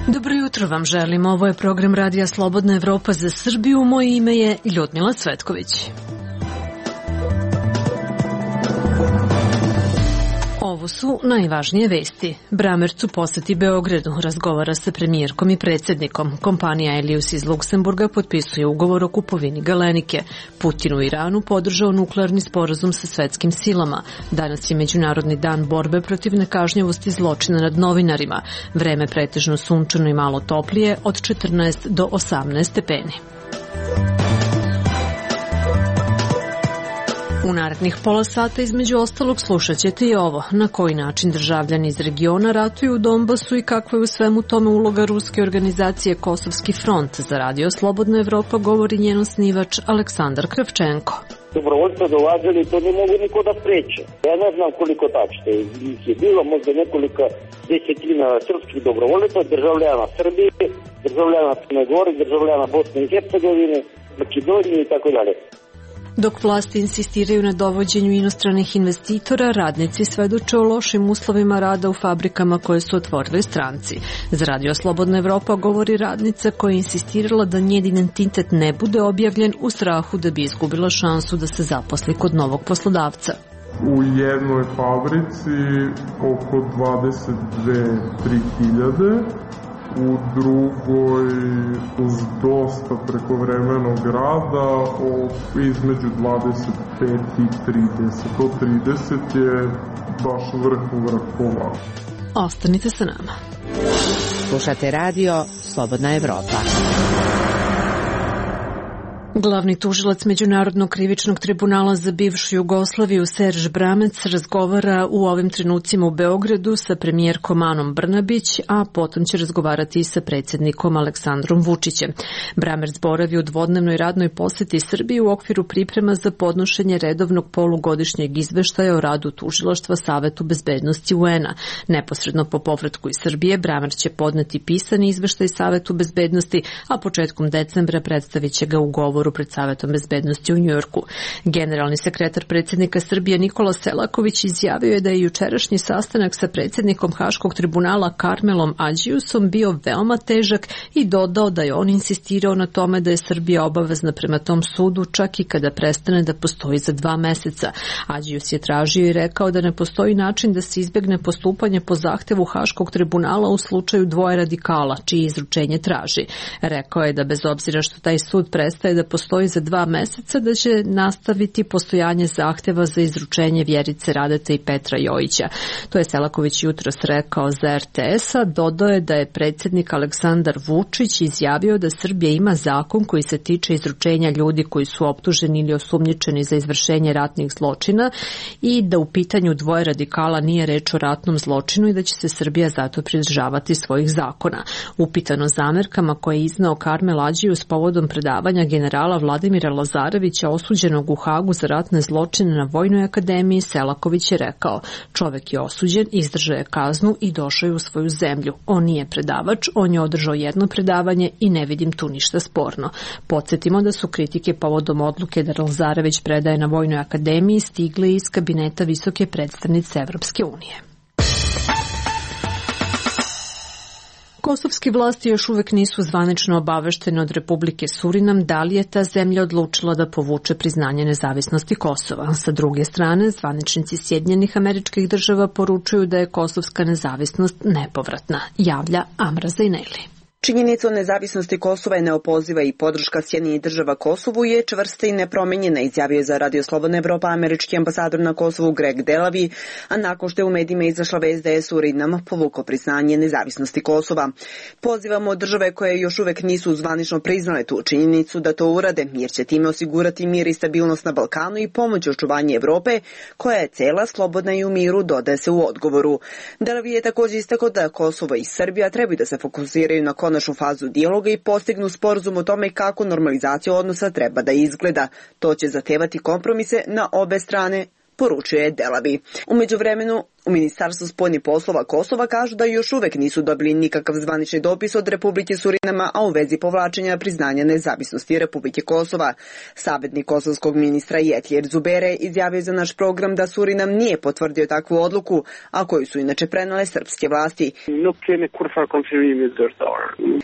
Dobro jutro vam želim. Ovo je program Radija Slobodna Evropa za Srbiju. Moje ime je Ljudmila Cvetković. Ovo su najvažnije vesti. Bramerc u poseti Beogradu razgovara sa premijerkom i predsjednikom. Kompanija Elius iz Luksemburga potpisuje ugovor o kupovini Galenike. Putin u Iranu podržao nuklearni sporazum sa svetskim silama. Danas je Međunarodni dan borbe protiv nekažnjivosti zločina nad novinarima. Vreme pretežno sunčano i malo toplije od 14 do 18 stepeni. U narednih pola sata između ostalog slušat ćete i ovo, na koji način državljani iz regiona ratuju u Donbasu i kakva je u svemu tome uloga ruske organizacije Kosovski front. Za Radio Slobodna Evropa govori njen osnivač Aleksandar Kravčenko. Dobrovoljstvo dolazili, to ne mogu niko da spreče. Ja ne znam koliko tačno ih je bilo, možda nekoliko desetina srpskih dobrovoljaca, državljana Srbije, državljana Crne Gore, državljana Bosne i Hercegovine, Makedonije i tako dalje. Dok vlasti insistiraju na dovođenju inostranih investitora, radnici svedoče o lošim uslovima rada u fabrikama koje su otvorili stranci. Za Radio Slobodna Evropa govori radnica koja je insistirala da njen identitet ne bude objavljen u strahu da bi izgubila šansu da se zaposli kod novog poslodavca. U jednoj fabrici oko 22-3 hiljade, u drugoj uz dosta prekovremenog rada između 25 i 30. To 30 je baš vrhova. Ostanite sa nama. Slušate Radio Slobodna Evropa. Glavni tužilac Međunarodnog krivičnog tribunala za bivšu Jugoslaviju Serž Bramerc razgovara u ovim trenucima u Beogradu sa premijerkom Anom Brnabić, a potom će razgovarati i sa predsjednikom Aleksandrom Vučićem. Bramerc boravi u dvodnevnoj radnoj poseti Srbiji u okviru priprema za podnošenje redovnog polugodišnjeg izveštaja o radu tužilaštva Savetu bezbednosti UN-a. Neposredno po povratku iz Srbije Bramerc će podneti pisani izveštaj Savetu bezbednosti, a početkom decembra predstavit će ga u govoru pred Savetom bezbednosti u Njujorku. Generalni sekretar predsjednika Srbije Nikola Selaković izjavio je da je jučerašnji sastanak sa predsjednikom Haškog tribunala Karmelom Adžiusom bio veoma težak i dodao da je on insistirao na tome da je Srbija obavezna prema tom sudu čak i kada prestane da postoji za 2 meseca. Adžius je tražio i rekao da ne postoji način da se izbjegne postupanje po zahtevu Haškog tribunala u slučaju dvoje radikala, čije izručenje traži. Rekao je da bez obzira što taj sud prestaje da postoji za 2 meseca, da će nastaviti postojanje zahteva za izručenje Vjerice Radete i Petra Jojića. To je Selaković jutros rekao za RTS-a. Dodao je da je predsjednik Aleksandar Vučić izjavio da Srbija ima zakon koji se tiče izručenja ljudi koji su optuženi ili osumnjičeni za izvršenje ratnih zločina i da u pitanju dvoje radikala nije reč o ratnom zločinu i da će se Srbija zato pridržavati svojih zakona. Upitano zamerkama koje je iznao Karmel Adžius povodom predavanja generala Vladimira Lazarevića osuđenog u Hagu za ratne zločine na Vojnoj akademiji, Selaković je rekao: čovek je osuđen, izdržao je kaznu i došao je u svoju zemlju. On nije predavač, on je održao jedno predavanje i ne vidim tu ništa sporno. Podsjetimo da su kritike povodom odluke da Lazarević predaje na Vojnoj akademiji stigle iz kabineta visoke predstavnice Evropske unije. Kosovske vlasti još uvek nisu zvanično obaveštene od Republike Surinam da li je ta zemlja odlučila da povuče priznanje nezavisnosti Kosova. Sa druge strane, zvaničnici Sjedinjenih Američkih Država poručuju da je kosovska nezavisnost nepovratna, javlja Amra Zaineli. Činjenica o nezavisnosti Kosova je neopoziva i podrška Sjedinjenih Država Kosovu je čvrsta i nepromenjena, izjavio je za Radio Slobodna Evropa američki ambasador na Kosovu Greg Delavi, a nakon što je u medijima izašla vest da je Surinam povukao priznanje nezavisnosti Kosova. Pozivamo države koje još uvek nisu zvanično priznale tu činjenicu da to urade, jer će time osigurati mir i stabilnost na Balkanu i pomoć očuvanju Evrope, koja je cela, slobodna i u miru, dodaje se u odgovoru. Delavi je također istakao da Kosovo i Srbija trebaju da se fokusiraju na konačnu fazu dijaloga i postignu sporazum o tome kako normalizacija odnosa treba da izgleda. To će zahtevati kompromise na obe strane, poručuje Delavi. U međuvremenu, U Ministarstvu spoljnih poslova Kosova kažu da još uvek nisu dobili nikakav zvanični dopis od Republike Surinama, a u vezi povlačenja priznanja nezavisnosti Republike Kosova. Savjetnik kosovskog ministra Jetlier Zubere izjavio za naš program da Surinam nije potvrdio takvu odluku, a koju su inače prenale srpske vlasti.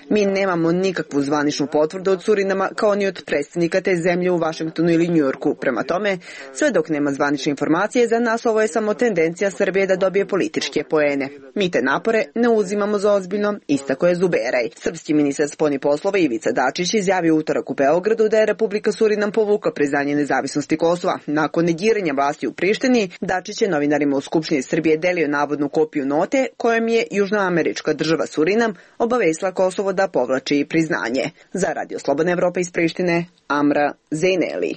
Mi nemamo nikakvu zvaničnu potvrdu od Surinama kao ni od predstavnika te zemlje u Vašingtonu ili Njujorku. Prema tome, sve dok nema zvanične informacije, za nas ovo je samo tendencija Srbije da dobije političke poene. Mi te napore ne uzimamo za ozbiljno, istako je Zuberaj. Srpski ministar spoljnih poslova Ivica Dačić izjavio utorak u Beogradu da je Republika Surinam povukla priznanje nezavisnosti Kosova. Nakon negiranja vlasti u Prištini, Dačić je novinarima u Skupštini Srbije delio navodnu kopiju note kojom je južnoamerička država Surinam obavestila Kosovo da povlači priznanje. Za Radio Slobodna Evropa iz Prištine, Amra Zejneli.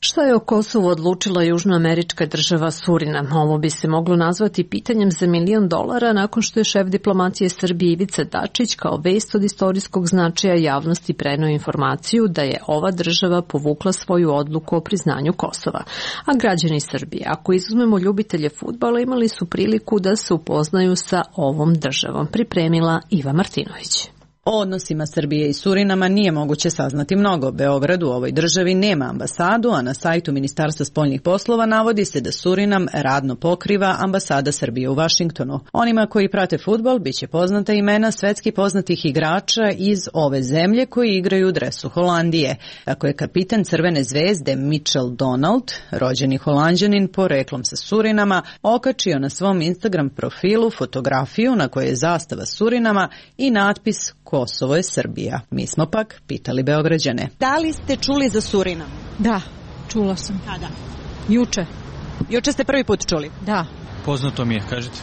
Šta je o Kosovu odlučila južnoamerička država Surinam? Ovo bi se moglo nazvati pitanjem za $1 milion nakon što je šef diplomatije Srbije Ivica Dačić kao vest od istorijskog značaja javnosti preneo informaciju da je ova država povukla svoju odluku o priznanju Kosova. A građani Srbije, ako izuzmemo ljubitelje fudbala, imali su priliku da se upoznaju sa ovom državom. Pripremila Iva Martinović. O odnosima Srbije i Surinama nije moguće saznati mnogo. Beograd u ovoj državi nema ambasadu, a na sajtu Ministarstva spoljnih poslova navodi se da Surinam radno pokriva ambasada Srbije u Vašingtonu. Onima koji prate fudbal biće poznata imena svetski poznatih igrača iz ove zemlje koji igraju u dresu Holandije. Ako je kapitan Crvene zvezde Mitchell Donald, rođeni Holanđanin poreklom sa Surinama, okačio na svom Instagram profilu fotografiju na kojoj je zastava Surinama i natpis Kosovo je Srbija. Mi smo pak pitali Beograđane. Da li ste čuli za Surinam? Da, čula sam. Kada? Juče. Juče ste prvi put čuli? Da. Poznato mi je, kažete.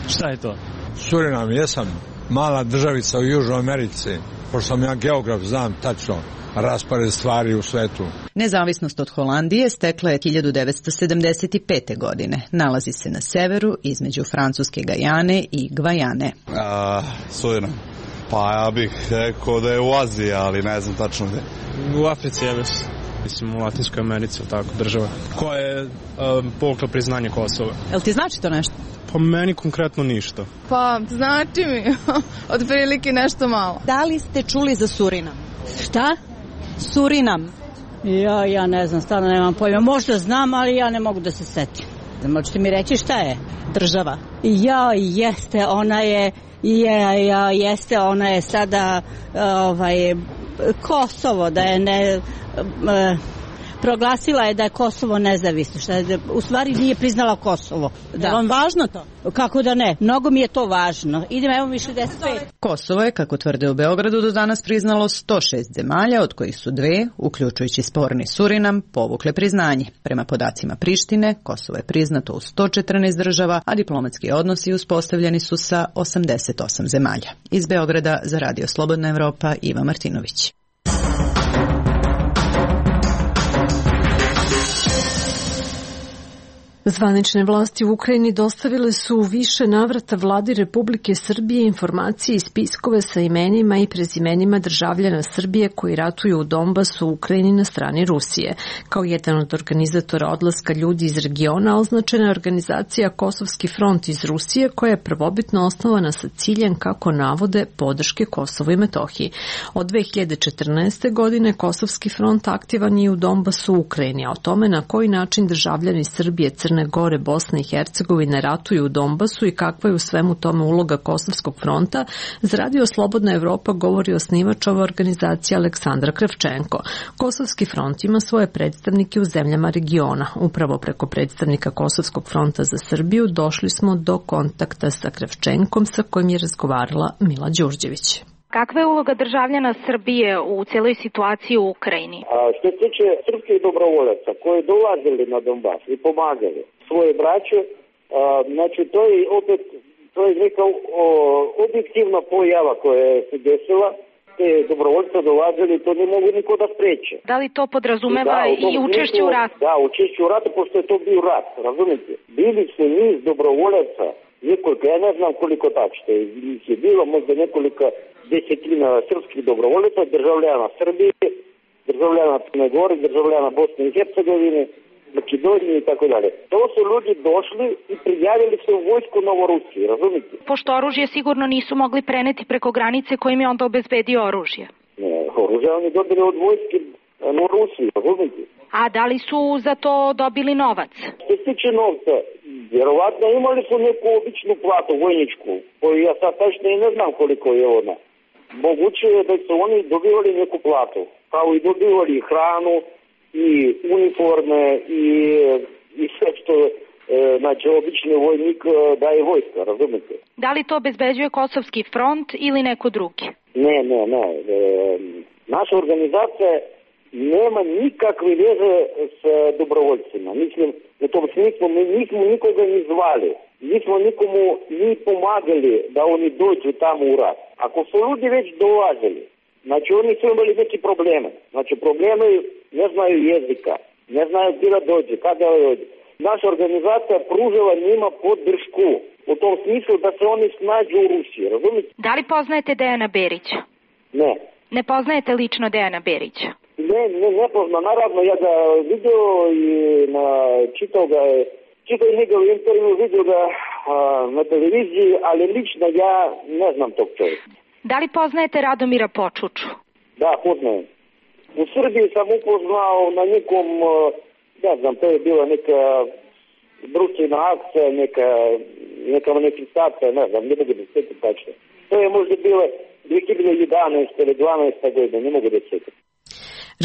Šta je to? Surinam, jesam mala državica u Južnoj Americi. Pošto sam ja geograf, znam tačno raspored stvari u svetu. Nezavisnost od Holandije stekla je 1975. godine. Nalazi se na severu između Francuske Gajane i Gvajane. Surinam. Pa ja bih rekao da je u Aziji, ali ne znam tačno gde. U Africi je već. Mislim u Latinskoj Americi, tako država. Koja je povukla priznanje Kosova. Jel ti znači to nešto? Pa meni konkretno ništa. Pa znači mi, otprilike nešto malo. Da li ste čuli za Surinam? Šta? Surinam. Ja ne znam, stvarno nemam pojma. Možda znam, ali ja ne mogu da se setim. Možete mi reći šta je? Država. Jeste, ona je sada Kosovo, da je ne... proglasila je da je Kosovo nezavisno, u stvari nije priznala Kosovo. Da. Je vam važno to? Kako da ne? Mnogo mi je to važno. Idemo, evo mi 65. Kosovo je, kako tvrde u Beogradu, do danas priznalo 106 zemalja, od kojih su 2, uključujući sporni Surinam, povukle priznanje. Prema podacima Prištine, Kosovo je priznato u 114 država, a diplomatski odnosi uspostavljeni su sa 88 zemalja. Iz Beograda za Radio Slobodna Evropa, Iva Martinović. Zvanične vlasti u Ukrajini dostavile su u više navrata vladi Republike Srbije informacije i spiskove sa imenima i prezimenima državljana Srbije koji ratuju u Donbasu u Ukrajini na strani Rusije. Kao jedan od organizatora odlaska ljudi iz regiona označena je organizacija Kosovski front iz Rusije koja je prvobitno osnovana sa ciljem, kako navode, podrške Kosovu i Metohiji. Od 2014. godine Kosovski front aktivan je u Donbasu u Ukrajini, a o tome na koji način državljani Srbije, Crne Gore, Bosne i Hercegovine ratuju u Donbasu i kakva je u svemu tome uloga Kosovskog fronta, za Radio Slobodna Evropa govori osnivač ove organizacije Aleksandra Kravčenko. Kosovski front ima svoje predstavnike u zemljama regiona. Upravo preko predstavnika Kosovskog fronta za Srbiju došli smo do kontakta sa Kravčenkom, sa kojim je razgovarala Mila Đurđević. Kakva je uloga državljana Srbije u cijeloj situaciji u Ukrajini? Što se tiče srpskih dobrovoljaca koji dolazili na Donbas i pomagali svoje braće, znači to je neka objektivna pojava koja se desila. Te dobrovoljca dolazili, to ne mogu niko da spreče. Da li to podrazumeva i učešće u ratu? Da, učešće u ratu, pošto je to bio rat, razumite? Bili su niz dobrovoljaca, nekoliko, ja ne znam koliko tačno, ih je bilo možda nekoliko desetina srpskih dobrovoljaca, državljana Srbije, državljana Crne Gore, državljana Bosne i Hercegovine, Makedonije i tako dalje. To su ljudi došli i prijavili se u vojsku Novorusije, razumite? Pošto oružje sigurno nisu mogli preneti preko granice, kojim je onda obezbedio oružje? Ne, oružje oni dobili od vojske Norusije, razumite? A da li su za to dobili novac? Što se tiče novca, vjerovatno imali su neku običnu platu, vojničku, koju ja sad tačno i ne znam koliko je ona. Moguće je da su oni dobivali neku platu, kao i dobivali hranu, i uniforme i sve što znači obični vojnik daje vojska, razumete? Da li to obezbeđuje Kosovski front ili neko drugi? Ne. Naša organizacija nema nikakve veze s dobrovoljcima. Mislim, u tom smislu mi nismo nikoga ni zvali. Nismo nikomu ni pomagali da oni dođu tamo u rat. Ako su ljudi već dolazili, znači oni su imali neki probleme. Znači probleme ne znaju jezika, ne znaju gdje da dođe, kada da dođe. Naša organizacija pružila njima podršku u tom smislu da se oni snađu u Rusiji, razumite? Da li poznajete Dejana Berića? Ne. Ne poznajete lično Dejana Berića? Ne poznam. Naravno, ja ga vidio i čitao njegov intervju, vidio ga na televiziji, ali lično ja ne znam tog čovjeka. Da li poznajete Radomira Počuču? Da, poznajem. U Srbiji sam upoznao na nekom, ne znam, to je bila neka društvena akcija, neka manifestacija, ne znam, ne mogu da se sjetim tačno. To je možda bilo 2011. ili 12. godina, ne mogu da se sjetim.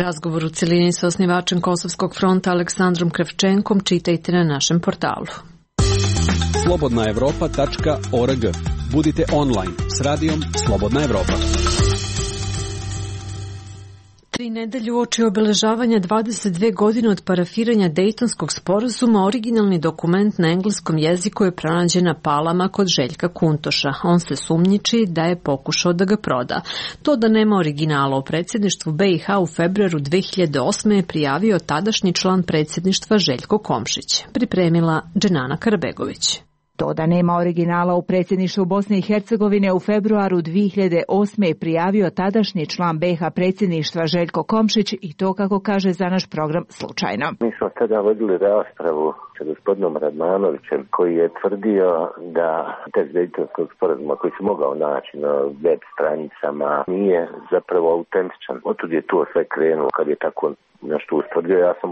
Razgovor u celini sa osnivačem Kosovskog fronta Aleksandrom Kravčenkom čitajte na našem portalu. slobodnaevropa.org. Budite online s radijom Slobodna Evropa. 3 nedelje uoči obeležavanja 22 godine od parafiranja Dejtonskog sporazuma, originalni dokument na engleskom jeziku je pronađen na Palama kod Željka Kuntoša. On se sumnjiči da je pokušao da ga proda. To da nema originala u predsjedništvu BiH u februaru 2008. je prijavio tadašnji član predsjedništva Željko Komšić. Pripremila Dženana Karabegović. To da nema originala u predsjedništvu Bosne i Hercegovine u februaru 2008. je prijavio tadašnji član BiH predsjedništva Željko Komšić i to, kako kaže za naš program, slučajno. Mi smo tada vodili raspravu sa gospodinom Radmanovićem koji je tvrdio da tekst Dejtonskog sporazuma koji se mogao naći na web stranicama nije zapravo autentičan. Otud je to sve krenulo kad je tako nešto ustvrdio. Ja sam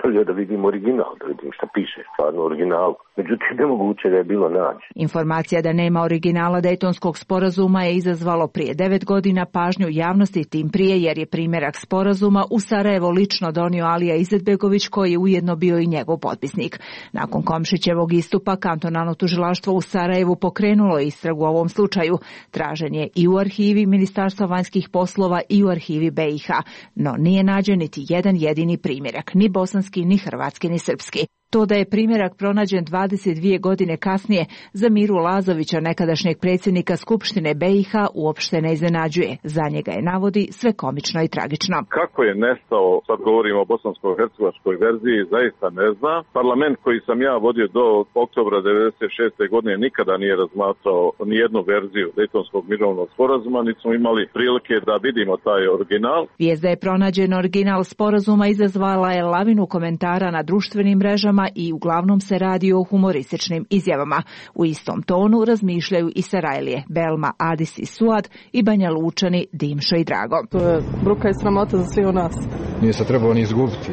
želio da vidim original, da vidim šta piše stvarno original. Međutim, nemoguće da je bilo naći. Informacija da nema originala Dejtonskog sporazuma je izazvalo prije 9 godina pažnju javnosti, tim prije jer je primjerak sporazuma u Sarajevo lično donio Alija Izetbegović, koji je ujedno bio i njegov potpisnik. Nakon Komšićevog istupa, kantonalno tužilaštvo u Sarajevu pokrenulo istragu u ovom slučaju. Tražen je i u arhivi Ministarstva vanjskih poslova i u arhivi BiH, no nije nađen niti jedan jedini primjerak, ni bosanski, ni hrvatski, ni srpski. To da je primjerak pronađen 22 godine kasnije za Miru Lazovića, nekadašnjeg predsjednika Skupštine BiH, uopšte ne iznenađuje. Za njega je, navodi, sve komično i tragično. Kako je nestao, sad govorimo o bosansko-hercegovačkoj verziji, zaista ne znam. Parlament koji sam ja vodio do oktobra 1996. godine nikada nije razmatrao nijednu verziju Dejtonskog mirovnog sporazuma, niti smo imali prilike da vidimo taj original. Vijest da je pronađen original sporazuma izazvala je lavinu komentara na društvenim mrežama i uglavnom se radi o humorističnim izjavama. U istom tonu razmišljaju i Sarajlije, Belma, Adis i Suad i Banja Lučani, Dimšo i Drago. To je bruka i sramota za svi u nas. Nije se trebao ni izgubiti.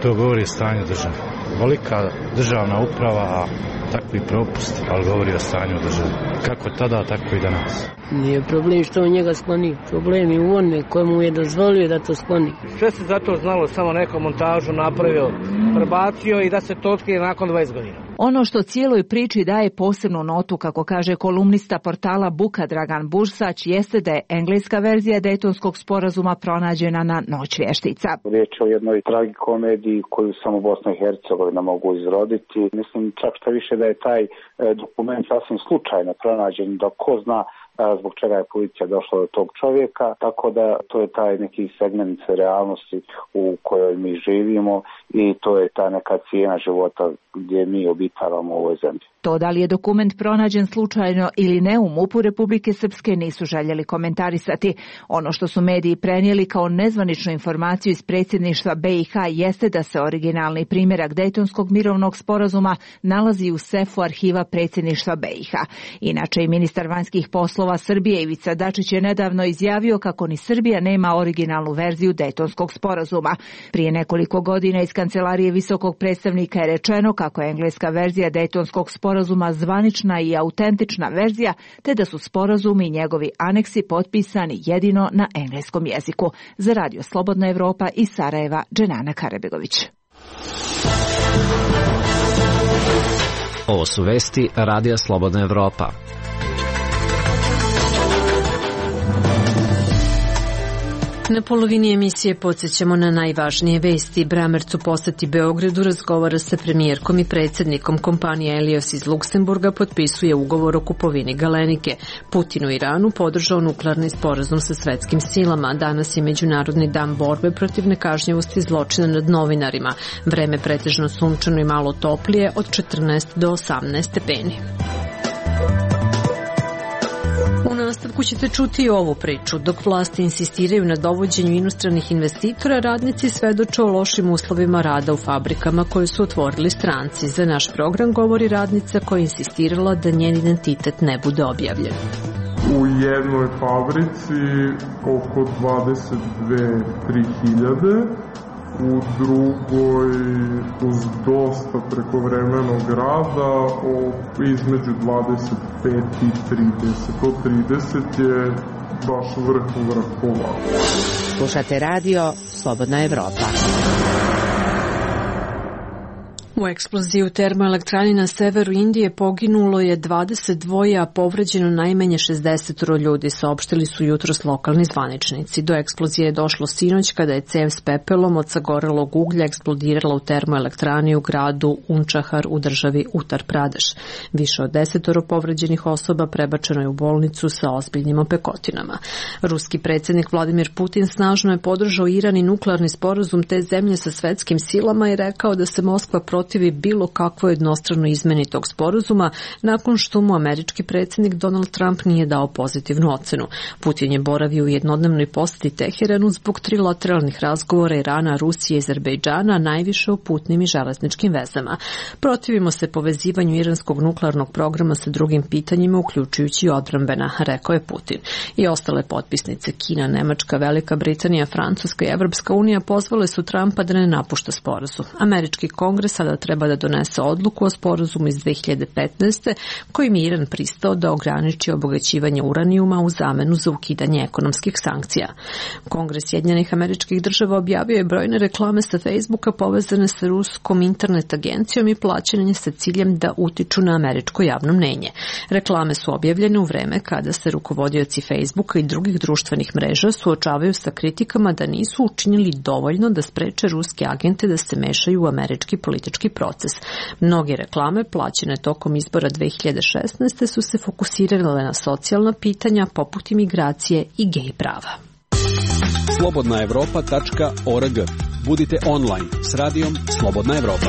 To govori stanje države. Velika državna uprava, takvi propusti, ali govori o stanju države. Kako tada, tako i danas. Nije problem što on njega skloni. Problem je u onome kojemu je dozvolio da to skloni. Sve se zato znalo, samo neku montažu napravio, prebacio i da se to otkrije nakon 20 godina. Ono što cijeloj priči daje posebnu notu, kako kaže kolumnista portala Buka Dragan Bursać, jeste da je engleska verzija Dejtonskog sporazuma pronađena na Noć vještica. Riječ o jednoj tragikomediji koju samo Bosna i Hercegovina mogu izroditi. Mislim čak što više da je taj dokument sasvim slučajno pronađen, da ko zna zbog čega je policija došla do tog čovjeka, tako da to je taj neki segment realnosti u kojoj mi živimo i to je ta neka cijena života gdje mi obitavamo u ovoj zemlji. To da li je dokument pronađen slučajno ili ne u MUP-u Republike Srpske nisu željeli komentarisati. Ono što su mediji prenijeli kao nezvaničnu informaciju iz predsjedništva BiH jeste da se originalni primjerak Dejtonskog mirovnog sporazuma nalazi u sefu arhiva predsjedništva BiH. Inače i ministar vanjskih poslova Srbije Ivica Dačić je nedavno izjavio kako ni Srbija nema originalnu verziju Dejtonskog sporazuma. Prije nekoliko godina iz kancelarije visokog predstavnika je rečeno kako je engleska verzija Dejtonskog sporazuma zvanična i autentična verzija, te da su sporazumi i njegovi aneksi potpisani jedino na engleskom jeziku. Za Radio Slobodna Evropa iz Sarajeva, Dženana Karabegović. Ovo su vesti Radija Slobodna Evropa. Na polovini emisije podsjećamo na najvažnije vesti. Bramerc u poseti Beogradu razgovara sa premijerkom i predsjednikom kompanije Elios iz Luksemburga, potpisuje ugovor o kupovini Galenike. Putin u Iranu podržao nuklearni sporazum sa svetskim silama. Danas je Međunarodni dan borbe protiv nekažnjivosti zločina nad novinarima. Vreme pretežno sunčano i malo toplije od 14 do 18 stepeni. U nastavku ćete čuti ovu priču. Dok vlasti insistiraju na dovođenju inostranih investitora, radnici svedoče o lošim uslovima rada u fabrikama koje su otvorili stranci. Za naš program govori radnica koja je insistirala da njen identitet ne bude objavljen. U jednoj fabrici oko 22-3 hiljade, u drugoj uz dosta prekovremenog rada između 25 i 30. To 30 je baš vrh polako. Slušate radio Slobodna Evropa. U eksploziji u termoelektrani na severu Indije poginulo je 22, a povređeno najmanje 60 ljudi, saopštili su jutros lokalni zvaničnici. Do eksplozije je došlo sinoć kada je cev s pepelom od sagorelog uglja eksplodirala u termoelektrani u gradu Unčahar u državi Utar Pradeš. Više od 10 povređenih osoba prebačeno je u bolnicu sa ozbiljnim opekotinama. Ruski predsjednik Vladimir Putin snažno je podržao Iran i nuklearni sporazum te zemlje sa svetskim silama i rekao da se Moskva protivi bilo kakvo jednostrano izmeni tog sporazuma nakon što mu američki predsjednik Donald Trump nije dao pozitivnu ocenu. Putin je boravio u jednodnevnoj posjeti Teheranu zbog trilateralnih razgovora Irana, Rusije i Azerbejdžana, najviše o putnim i železničkim vezama. Protivimo se povezivanju iranskog nuklearnog programa sa drugim pitanjima, uključujući i odbrambena, rekao je Putin. I ostale potpisnice Kina, Nemačka, Velika Britanija, Francuska i Evropska unija pozvale su Trumpa da ne napušta sporazum. Američki kongres sada treba da donese odluku o sporazumu iz 2015. kojim je Iran pristao da ograniči obogaćivanje uranijuma u zamenu za ukidanje ekonomskih sankcija. Kongres Sjedinjenih Američkih Država objavio je brojne reklame sa Facebooka povezane sa ruskom internet agencijom i plaćanje sa ciljem da utiču na američko javno mnenje. Reklame su objavljene u vreme kada se rukovodioci Facebooka i drugih društvenih mreža suočavaju sa kritikama da nisu učinili dovoljno da spreče ruske agente da se mešaju u američki politički proces. Mnoge reklame plaćene tokom izbora 2016. su se fokusirale na socijalna pitanja poput imigracije i gej prava. slobodnaevropa.org. Budite online s radijom Slobodna Evropa.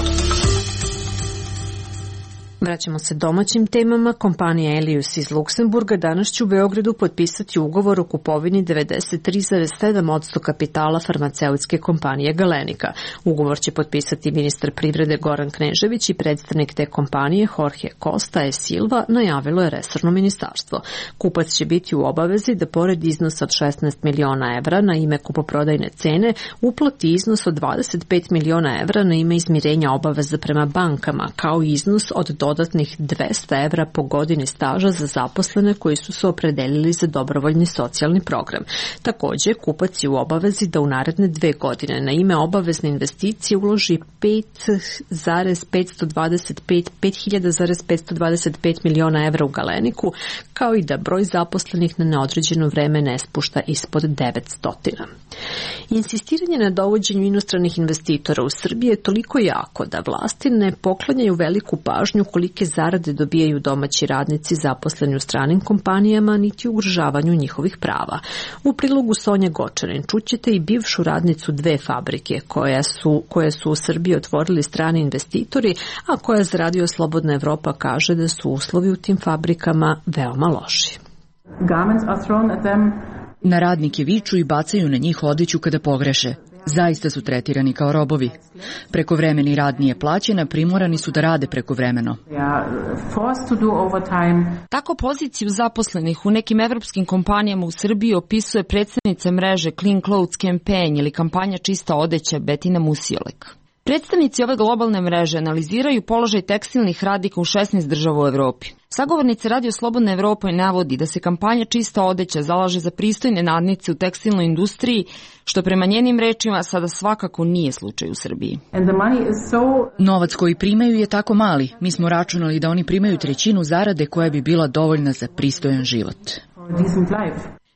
Vraćamo se domaćim temama. Kompanija Elios iz Luksemburga danas će u Beogradu potpisati ugovor o kupovini 93,7% kapitala farmaceutske kompanije Galenika. Ugovor će potpisati ministar privrede Goran Knežević i predstavnik te kompanije Jorge Costa e Silva, najavilo je resorno ministarstvo. Kupac će biti u obavezi da pored iznosa od 16 miliona evra na ime kupoprodajne cene uplati iznos od 25 miliona evra na ime izmirenja obaveza prema bankama, kao i iznos od dodatnih 200 evra po godini staža za zaposlene koji su se opredelili za dobrovoljni socijalni program. Također, kupac je u obavezi da u naredne 2 godine na ime obavezne investicije uloži 5.525 miliona evra u Galeniku, kao i da broj zaposlenih na neodređeno vreme ne spušta ispod 900. Insistiranje na dovođenju inostranih investitora u Srbiji je toliko jako da vlasti ne poklanjaju veliku pažnju kolike zarade dobijaju domaći radnici zaposleni u stranim kompanijama, niti ugrožavanju njihovih prava. U prilogu Sonje Gočanin čućete i bivšu radnicu dve fabrike koje su u Srbiji otvorili strani investitori, a koja za Radio Slobodna Evropa kaže da su uslovi u tim fabrikama veoma loši. Na radnike viču i bacaju na njih odeću kada pogreše. Zaista su tretirani kao robovi. Prekovremeni rad nije plaćen, a primorani su da rade prekovremeno. Tako poziciju zaposlenih u nekim evropskim kompanijama u Srbiji opisuje predstavnica mreže Clean Clothes Campaign ili kampanja Čista odeća Betina Musiolek. Predstavnici ove globalne mreže analiziraju položaj tekstilnih radnika u 16 država u Evropi. Sagovornica Radio Slobodna Evropa navodi da se kampanja Čista odeća zalaže za pristojne nadnice u tekstilnoj industriji, što prema njenim rečima sada svakako nije slučaj u Srbiji. Novac koji primaju je tako mali. Mi smo računali da oni primaju trećinu zarade koja bi bila dovoljna za pristojan život.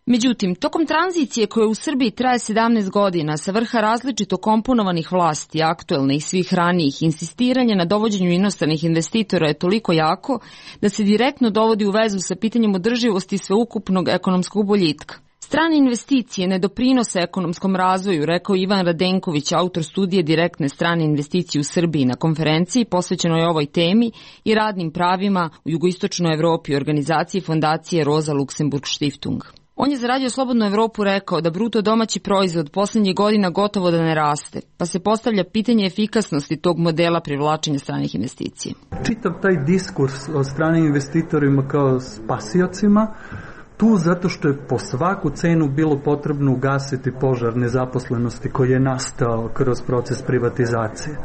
Međutim, tokom tranzicije koja u Srbiji traje 17 godina, sa vrha različito komponovanih vlasti, aktuelne i svih ranijih, insistiranje na dovođenju inostranih investitora je toliko jako da se direktno dovodi u vezu sa pitanjem održivosti sveukupnog ekonomskog boljitka. Strane investicije ne doprinose ekonomskom razvoju, rekao Ivan Radenković, autor studije Direktne strane investicije u Srbiji na konferenciji posvećenoj ovoj temi i radnim pravima u jugoistočnoj Evropi organizaciji fondacije Rosa Luxemburg Stiftung. On je za Radio Slobodnu Evropu rekao da bruto domaći proizvod posljednjih godina gotovo da ne raste, pa se postavlja pitanje efikasnosti tog modela privlačenja stranih investicija. Čitav taj diskurs o stranim investitorima kao spasiocima, tu zato što je po svaku cenu bilo potrebno ugasiti požar nezaposlenosti koji je nastao kroz proces privatizacije.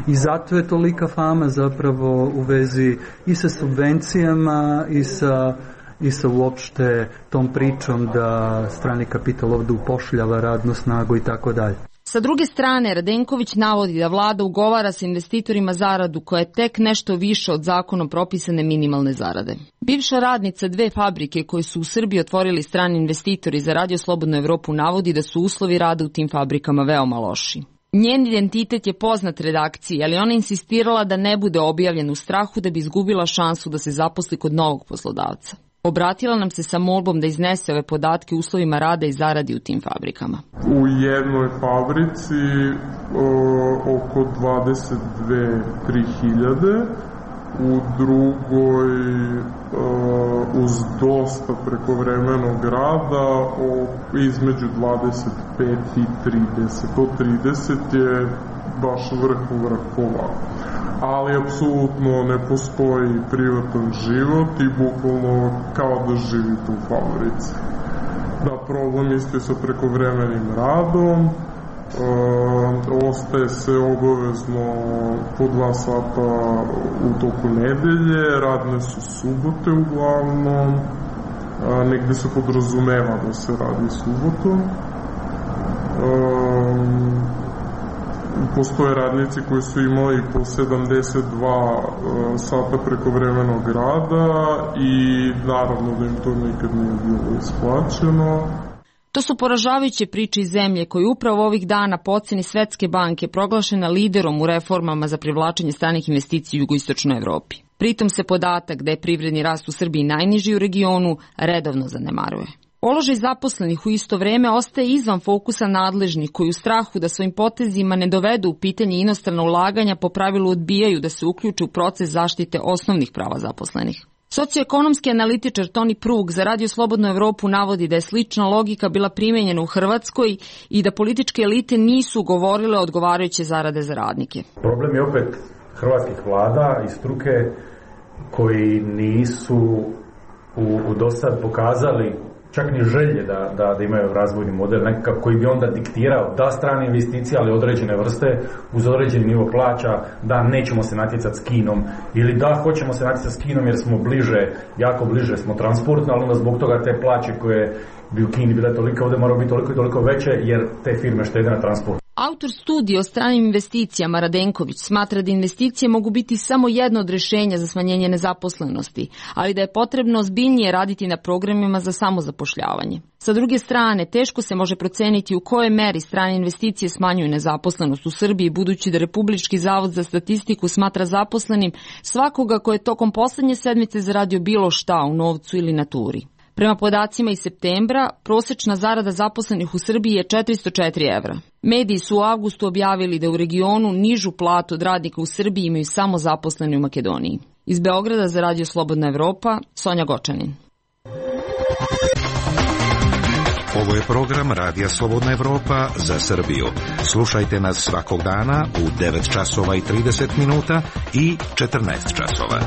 I zato je tolika fama zapravo u vezi i sa subvencijama i sa uopšte tom pričom da strani kapital ovdje upošljava radnu snagu i tako dalje. Sa druge strane, Radenković navodi da vlada ugovara sa investitorima zaradu koja je tek nešto više od zakonom propisane minimalne zarade. Bivša radnica dve fabrike koje su u Srbiji otvorili strani investitori za Radio Slobodnu Evropu navodi da su uslovi rada u tim fabrikama veoma loši. Njen identitet je poznat redakciji, ali ona insistirala da ne bude objavljen u strahu da bi izgubila šansu da se zaposli kod novog poslodavca. Obratila nam se sa molbom da iznese ove podatke o uslovima rada i zaradi u tim fabrikama. U jednoj fabrici oko 22-3 hiljade, u drugoj uz dosta prekovremenog rada između 25 i 30. To 30 je baš vrhova. Ali apsolutno ne postoji privatan život i bukvalno kao da živite u fabrici. Da, problem isto sa prekovremenim radom, ostaje se obavezno po 2 sata u toku nedelje, radne su subote uglavnom, negde se podrazumeva da se radi subotom. Postoje radnici koji su imali po 72 sata prekovremenog rada i naravno da im to nikad nije bilo isplaćeno. To su poražavajuće priče iz zemlje koja je upravo ovih dana po oceni Svetske banke proglašena liderom u reformama za privlačenje stranih investicija u jugoistočnoj Evropi. Pritom se podatak da je privredni rast u Srbiji najniži u regionu redovno zanemaruje. Položaj zaposlenih u isto vreme ostaje izvan fokusa nadležnih koji u strahu da svojim potezima ne dovedu u pitanje inostrana ulaganja po pravilu odbijaju da se uključe u proces zaštite osnovnih prava zaposlenih. Socioekonomski analitičar Toni Prug za Radio Slobodnu Evropu navodi da je slična logika bila primenjena u Hrvatskoj i da političke elite nisu govorile odgovarajuće zarade za radnike. Problem je opet hrvatskih vlada i struke koji nisu u dosad pokazali čak ni želje da imaju razvojni model nekakav koji bi onda diktirao da strane investicije, ali određene vrste uz određeni nivo plaća, da nećemo se natjecati s Kinom ili da hoćemo se natjecati s Kinom jer smo bliže, jako bliže smo transportno, ali onda zbog toga te plaće koje bi u Kini bile toliko, ovdje moraju biti toliko i toliko veće jer te firme štede na transport. Autor studije o stranim investicijama Radenković smatra da investicije mogu biti samo jedno od rješenja za smanjenje nezaposlenosti, ali da je potrebno ozbiljnije raditi na programima za samozapošljavanje. Sa druge strane, teško se može proceniti u kojoj meri strane investicije smanjuju nezaposlenost u Srbiji, budući da Republički zavod za statistiku smatra zaposlenim svakoga ko je tokom poslednje sedmice zaradio bilo šta u novcu ili naturi. Prema podacima iz septembra, prosečna zarada zaposlenih u Srbiji je 404 evra. Mediji su u avgustu objavili da u regionu nižu platu od radnika u Srbiji imaju samo zaposleni u Makedoniji. Iz Beograda za Radio Slobodna Evropa, Sonja Gočanin. Ovo je program Radija Slobodna Evropa za Srbiju. Slušajte nas svakog dana u 9 časova i 30 minuta i 14 časova.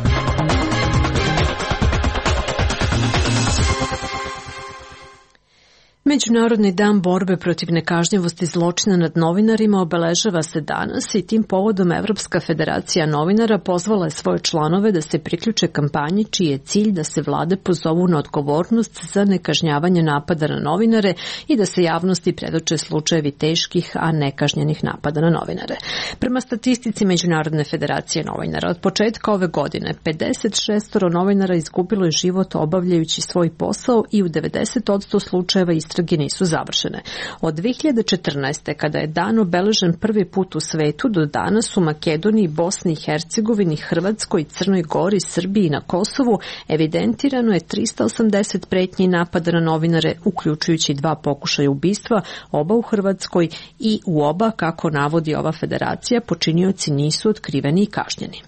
Međunarodni dan borbe protiv nekažnjivosti zločina nad novinarima obeležava se danas i tim povodom Evropska federacija novinara pozvala je svoje članove da se priključe kampanji čiji je cilj da se vlade pozovu na odgovornost za nekažnjavanje napada na novinare i da se javnosti predoče slučajevi teških, a nekažnjenih napada na novinare. Prema statistici Međunarodne federacije novinara, od početka ove godine 56 novinara izgubilo je život obavljajući svoj posao i u 90% slučajeva istrage nisu završene. Od 2014. kada je dan obeležen prvi put u svetu do danas u Makedoniji, Bosni i Hercegovini, Hrvatskoj, Crnoj Gori, Srbiji i na Kosovu evidentirano je 380 pretnji napada na novinare, uključujući 2 pokušaja ubistva, oba u Hrvatskoj i u oba, kako navodi ova federacija, počinioci nisu otkriveni i kažnjeni.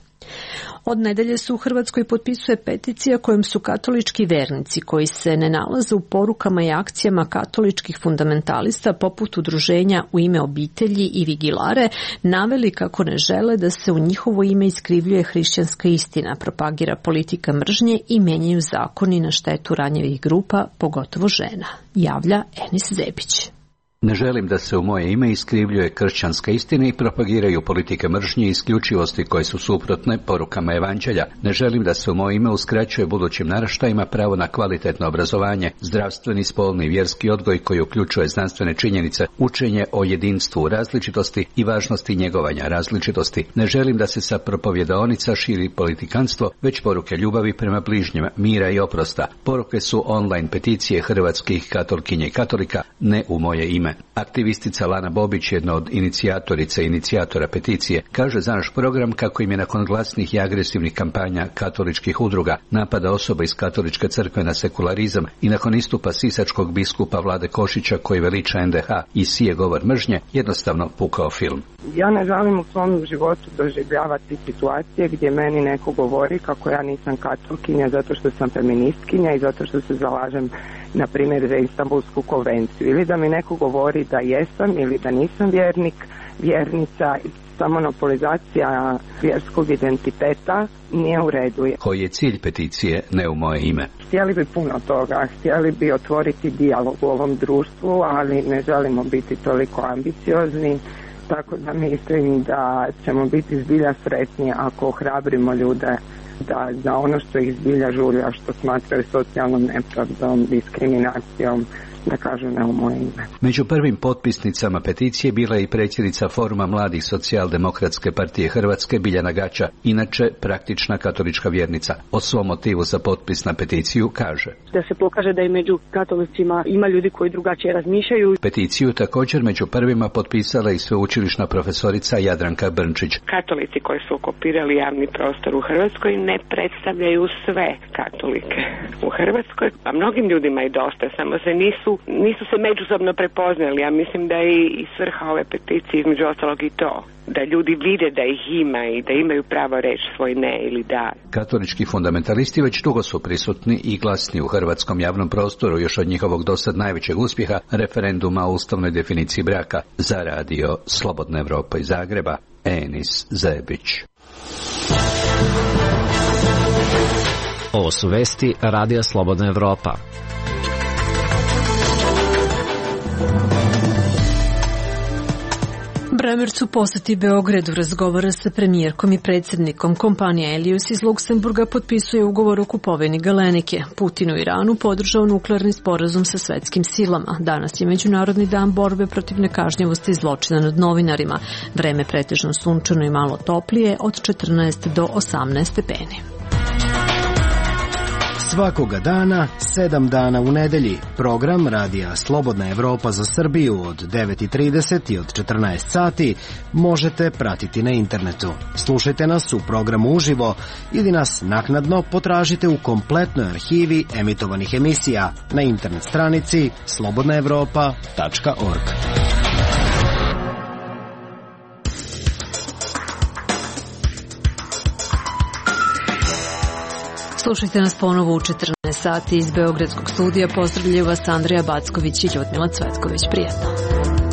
Od nedelje se u Hrvatskoj potpisuje peticija kojom su katolički vernici koji se ne nalaze u porukama i akcijama katoličkih fundamentalista poput udruženja U ime obitelji i Vigilare naveli kako ne žele da se u njihovo ime iskrivljuje hrišćanska istina, propagira politika mržnje i menjaju zakoni na štetu ranjivih grupa, pogotovo žena, javlja Enis Zebić. Ne želim da se u moje ime iskrivljuje kršćanska istina i propagiraju politike mržnje i isključivosti koje su suprotne porukama evanđelja. Ne želim da se u moje ime uskraćuje budućim naraštajima pravo na kvalitetno obrazovanje, zdravstveni, spolni i vjerski odgoj koji uključuje znanstvene činjenice, učenje o jedinstvu različitosti i važnosti njegovanja različitosti. Ne želim da se sa propovjedaonica širi politikanstvo, već poruke ljubavi prema bližnjima, mira i oprosta. Poruke su online peticije hrvatskih katolkinja i katolika, ne u moje ime. Aktivistica Lana Bobić, jedna od inicijatorica i inicijatora peticije, kaže za naš program kako im je nakon glasnih i agresivnih kampanja katoličkih udruga, napada osoba iz katoličke crkve na sekularizam i nakon istupa sisačkog biskupa Vlade Košića koji veliča NDH i sije govor mržnje, jednostavno pukao film. Ja ne želim u svom životu doživljavati situacije gdje meni neko govori kako ja nisam katolkinja zato što sam feministkinja i zato što se zalažem na primjer za Istanbulsku konvenciju, ili da mi neko govori da jesam ili da nisam vjernik, vjernica. Ta monopolizacija vjerskog identiteta nije u redu. Koji je cilj peticije Ne u moje ime? Htjeli bi puno toga, htjeli bi otvoriti dijalog u ovom društvu, ali ne želimo biti toliko ambiciozni, tako da mislim da ćemo biti zbilja sretni ako ohrabrimo ljude da za ono što ih zbilja žulja, što smatraju socijalnom nepravdom, diskriminacijom, da kažu ne u moje ime. Među prvim potpisnicama peticije bila je i predsjednica Foruma mladih socijaldemokratske partije Hrvatske Biljana Gaća, inače praktična katolička vjernica. O svom motivu za potpis na peticiju kaže: da se pokaže da i među katolicima ima ljudi koji drugačije razmišljaju. Peticiju također među prvima potpisala i sveučilišna profesorica Jadranka Brnčić. Katolici koji su okupirali javni prostor u Hrvatskoj ne predstavljaju sve katolike u Hrvatskoj, a mnogim ljudima je dosta, samo se nisu se međusobno prepoznali. Ja mislim da je i svrha ove peticije između ostalog i to, da ljudi vide da ih ima i da imaju pravo reći svoj ne ili da. Katolički fundamentalisti već dugo su prisutni i glasni u hrvatskom javnom prostoru još od njihovog dosad najvećeg uspjeha, referenduma o ustavnoj definiciji braka. Za Radio Slobodna Evropa iz Zagreba, Enis Zebić. Ovo su vesti Radija Slobodna Evropa. Bramerc u poseti Beogradu razgovara sa premijerkom i predsjednikom. Kompanija Elios iz Luksemburga potpisuje ugovor o kupovini Galenike. Putin u Iranu podržao nuklearni sporazum sa svetskim silama. Danas je Međunarodni dan borbe protiv nekažnjivosti i zločina nad novinarima. Vreme pretežno sunčano i malo toplije od 14 do 18 stepeni. Svakoga dana, 7 dana u nedelji. Program Radija Slobodna Evropa za Srbiju od 9:30 i od 14 sati možete pratiti na internetu. Slušajte nas u programu uživo ili nas naknadno potražite u kompletnoj arhivi emitovanih emisija na internet stranici slobodnaevropa.org. Slušajte nas ponovo u 14 sati iz Beogradskog studija. Pozdravljaju vas Andreja Backović i Ljudmila Cvetković. Prijetno.